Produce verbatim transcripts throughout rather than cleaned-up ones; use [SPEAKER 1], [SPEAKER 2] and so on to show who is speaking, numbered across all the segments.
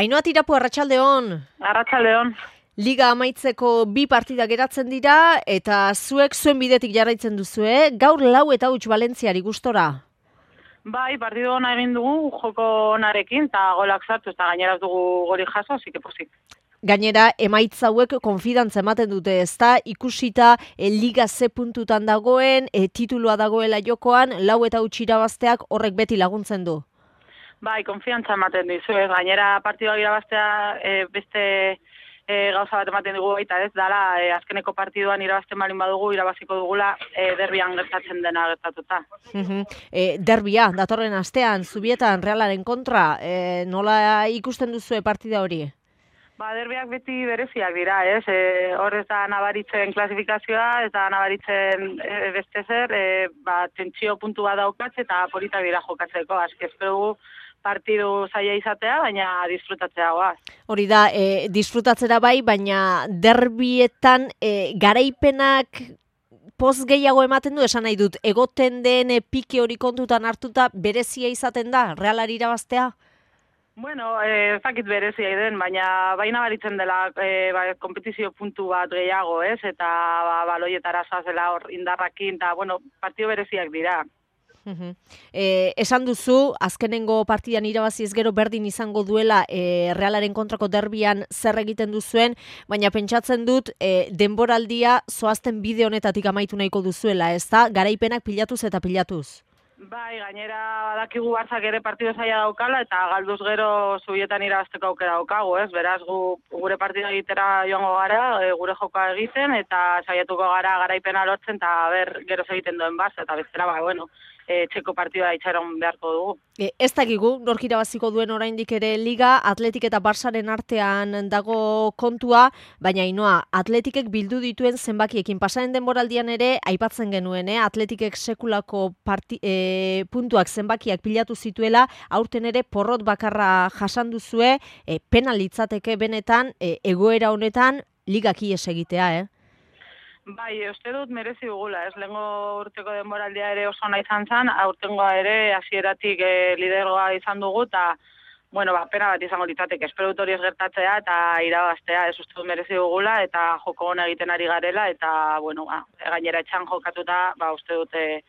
[SPEAKER 1] Ainhoa Tirapu, arratsaldeon.
[SPEAKER 2] Arratsaldeon.
[SPEAKER 1] Liga amaitzeko bi partida geratzen dira eta zuek zuen bidetik jarraitzen duzue. Gaur lau eta huts Valentziari gustora.
[SPEAKER 2] Bai, partidu ona egin dugu joko onarekin eta golak sartu eta gainera ez dugu goli jaso, así que posik.
[SPEAKER 1] Gainera, emaitza hauek konfidantza ematen dute, ezta? Ikusita e, Liga ze puntutan dagoen, e, titulua dagoela jokoan, lau eta huts irabazteak horrek beti laguntzen du.
[SPEAKER 2] Bai, konfiantza ematen dizu, ez? Gainera partidua irabaztea e, beste e, gauza bat ematen dugu baita, ez? Dala, e, azkeneko partiduan irabazten balin badugu, irabaziko dugula e, derbian gertatzen dena gertatuta.
[SPEAKER 1] Uhum. E, derbia, datorren astean, Zubietan, Realaren kontra, e, nola ikusten duzue partida hori?
[SPEAKER 2] Ba, derbiak beti bereziak dira, ez? E, hor ez da nabaritzen klasifikazioa, ez da nabaritzen e, beste zer, e, ba, tentsio puntu bat daukatze eta polita dira jokatzeko. Aski espero dugu partidu zaila izatea, baina disfrutatzea goaz.
[SPEAKER 1] Hori da, e, disfrutatzera bai, baina derbietan e, garaipenak poz gehiago ematen du, esan nahi dut, egoten den e, pike hori kontutan hartuta berezia izaten da, Realari irabaztea?
[SPEAKER 2] Bueno, ez dakit berezia den, baina baina baritzen dela e, ba, kompetizio puntu bat gehiago, ez? Eta ba, baloietara zazela hor indarrakin, eta, bueno, partido bereziak dira.
[SPEAKER 1] Uhum. E, esan duzu, azkenengo partidan irabazi ez gero berdin izango duela e, Realaren kontrako derbian zer egiten duzuen, baina pentsatzen dut e, denboraldia zoazten bide honetatik amaitu nahiko duzuela, ez da? Garaipenak pilatuz eta pilatuz.
[SPEAKER 2] Bai, gainera badakigu Barzak ere partido zaila daukala eta galduz gero Zubietan irabazteko aukera daukagu, ez? Beraz, gu, gure partida egitera joango gara, e, gure jokoa egiten eta saiatuko gara garaipena lortzen eta ber gero egiten duen Barça eta bestera, ba, bueno, e, txeko partida itxaron beharko dugu.
[SPEAKER 1] E, ez dakigu, nork irabaziko duen oraindik ere Liga, Atletik eta Barzaren artean dago kontua, baina Ainhoa, Atletikek bildu dituen zenbakiekin pasaren denboraldian ere aipatzen genuen, eh? Atletikek sekulako parti, e, puntuak zenbakiak pilatu zituela, aurten ere porrot bakarra jasan duzue, e, penal litzateke benetan, e, egoera honetan Ligak ihes egitea, eh?
[SPEAKER 2] Bai, uste dut merezi dugula, ez lehengo urteko denboraldia ere oso ona izan zen, aurtengoa ere hasieratik e, lidergoa izan dugu, eta, bueno, ba, pena bat izango litzateke, espero dut hori ez gertatzea eta irabaztea, ez uste dut merezi dugula, eta joko ona egiten ari garela, eta, bueno, ba, gainera etxan jokatuta, ba, uste dut e,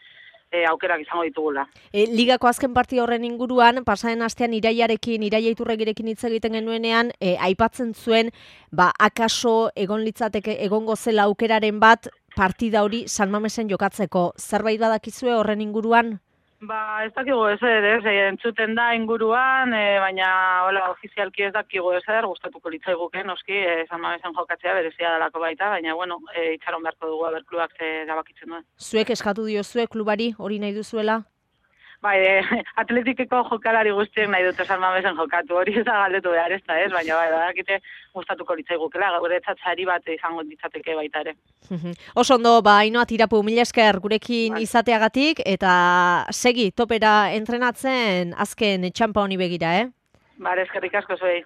[SPEAKER 2] e, aukerak izango ditugula.
[SPEAKER 1] E, Ligako azken partida horren inguruan, pasaren astean Iraiarekin, Iraia Iturregirekin hitz egiten genuenean, e, aipatzen zuen, ba, akaso egon litzateke egongo zela aukeraren bat partida hori San Mamesen jokatzeko. Zerbait badakizue horren inguruan?
[SPEAKER 2] Ba, ez dakigu ezer, ez, entzuten da inguruan, e, baina hola, ofizialki ez dakigu ezer, gustatuko litzaiguke, noski, e, San Mamesen jokatzea berezia dalako baita, baina, bueno, e, itxaron beharko dugu aber klubak ze erabakitzen duen.
[SPEAKER 1] Zuek eskatu diozue klubari hori nahi duzuela?
[SPEAKER 2] Bai, e, Atletikeko jokalari guztiek nahi dute San Mamesen jokatu, hori ez da galdetu behar ez da, ez, baina bai, badakite gustatuko litzaigukela, gure sari bat izango ditzateke baita ere.
[SPEAKER 1] Oso ondo, ba, Ainhoa Tirapu, mila esker gurekin bai. Izateagatik, eta segi topera entrenatzen azken txampa honi begira, eh?
[SPEAKER 2] Bare, eskerrik asko zuei.